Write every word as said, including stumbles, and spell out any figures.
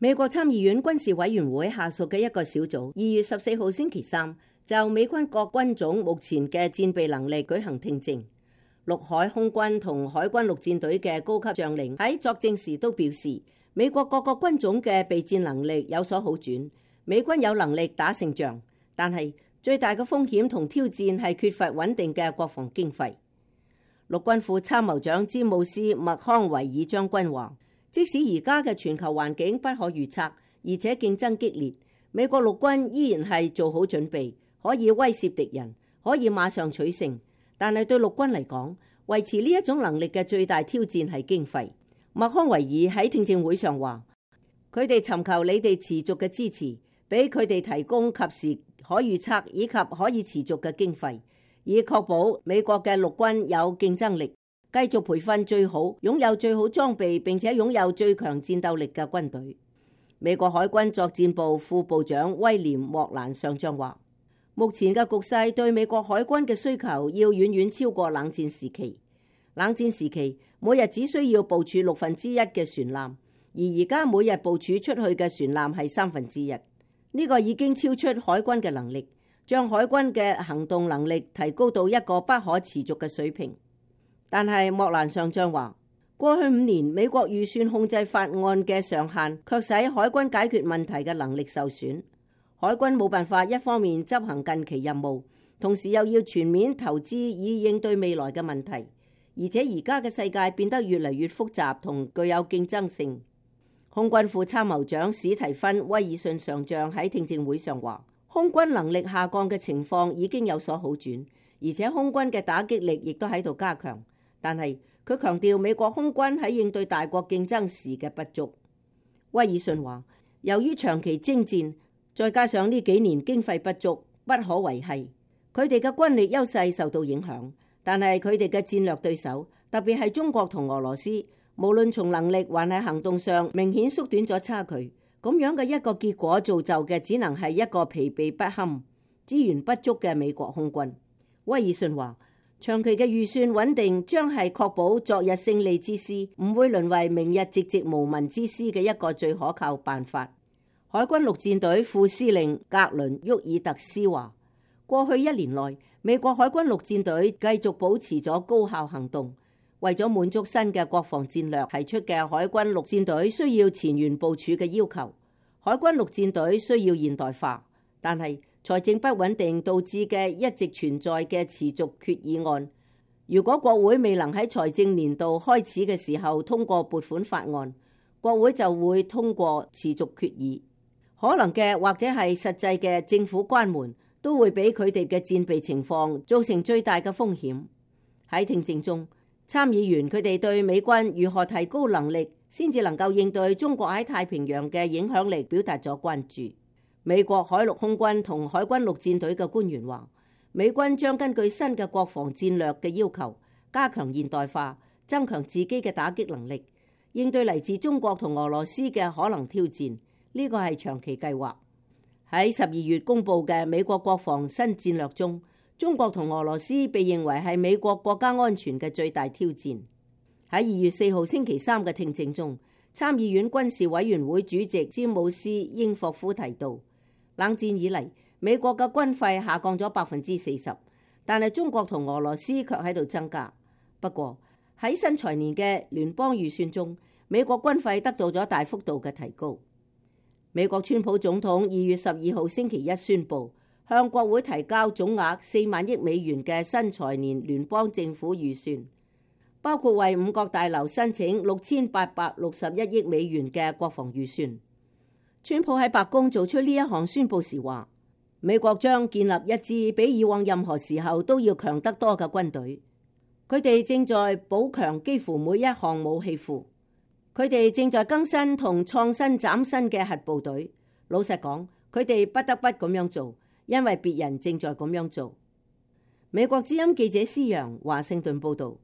美國參議院軍事委員會下屬嘅一個小組，二月十四號星期三就美軍各軍種目前嘅戰備能力舉行聽證。陸海空軍同海軍陸戰隊嘅高級將領喺作證時都表示，美國各個軍種嘅備戰能力有所好轉，美軍有能力打勝仗，但係最大嘅風險同挑戰係缺乏穩定嘅國防經費。陸軍副參謀長詹姆斯·麥康維爾將軍話，即使而家嘅全球環境不可預測，而且競爭激烈，美國陸軍依然係做好準備，可以威懾敵人，可以馬上取勝。但係對陸軍嚟講，維持呢一種能力嘅最大挑戰係經費。麥康維爾喺聽證會上話，佢哋尋求你哋持續嘅支持，俾佢哋提供及時可預測以及可以持續嘅經費，以確保美國嘅陸軍有競爭力，繼續培訓最好、擁有最好裝備並且擁有最強戰鬥力嘅軍隊。美國海軍作戰部副部長威廉莫蘭上將話，目前嘅局勢對美國海軍嘅需求要遠遠超過冷戰時期。冷戰時期每日只需要部署六分之一嘅船艦，而而家每日部署出去嘅船艦係三分之一。呢個已經超出海軍嘅能力，將海軍嘅行動能力提高到一個不可持續嘅水平。但係莫蘭上將話，過去五年美國預算控制法案嘅上限卻使海軍解決問題嘅能力受損。海軍冇辦法一方面執行近期任務，同時又要全面投資以應對未來嘅問題，而且而家嘅世界變得越嚟越複雜同具有競爭性。空軍副參謀長史提芬威爾遜上將喺聽證會上話，空軍能力下降嘅情況已經有所好轉，而且空軍嘅打擊力亦都喺度加強。但係佢強調美國空軍喺應對大國競爭時嘅不足。威爾遜話，由於長期征戰，再加上呢幾年經費不足，不可維繫，佢哋嘅軍力優勢受到影響。但係佢哋嘅戰略對手，特別係中國同俄羅斯，無論從能力還係行動上，明顯縮短咗差距。咁樣嘅一個結果造就嘅，只能係一個疲憊不堪、資源不足嘅美國空軍。威爾遜話，長期嘅預算穩定將係確保昨日勝利之師唔會淪為明日寂寂無聞之師嘅一個最可靠辦法。海軍陸戰隊副司令格倫沃爾特斯話，過去一年內，美國海軍陸戰隊繼續保持咗高效行動，為咗滿足新嘅國防戰略提出嘅海軍陸戰隊需要前沿部署嘅要求。海軍陸戰隊需要現代化，但係財政不穩定導致嘅一直存在嘅持續決議案，如果國會未能喺財政年度開始嘅時候通過撥款法案，國會就會通過持續決議。可能嘅或者係實際嘅政府關門，都會俾佢哋嘅戰備情況造成最大嘅風險。喺聽證中，參議員佢哋對美軍如何提高能力，先至能夠應對中國喺太平洋嘅影響力表達咗關注。美國海陸空軍同海軍陸戰隊嘅官員話，美軍將根據新嘅國防戰略嘅要求，加強現代化，增強自己嘅打擊能力，應對嚟自中國同俄羅斯嘅可能挑戰。呢個係長期計劃。喺十二月公布嘅美國國防新戰略中，中國同俄羅斯被認為係美國國家安全嘅最大挑戰。喺二月四號星期三嘅聽證中，參議院軍事委員會主席詹姆斯英霍夫提到，冷戰以嚟美國嘅軍費下降咗百分之四十，但係中國同俄羅斯卻喺度增加。不過喺新財年嘅聯邦預算中，美國軍費得到咗大幅度嘅提高。美國川普總統二月十二號星期一宣布，向國會提交總額四萬億美元嘅新財年聯邦政府預算，包括為五角大樓申請六千八百六十一億美元嘅國防預算。川普喺白宮做出呢一項宣布時話，美國將建立一支比以往任何時候都要強得多嘅軍隊。佢哋正在補強幾乎每一項武器庫。佢哋正在更新同創新嶄新嘅核部隊。老實講，佢哋不得不咁樣做，因為別人正在咁樣做。美國之音記者施揚華盛頓報道。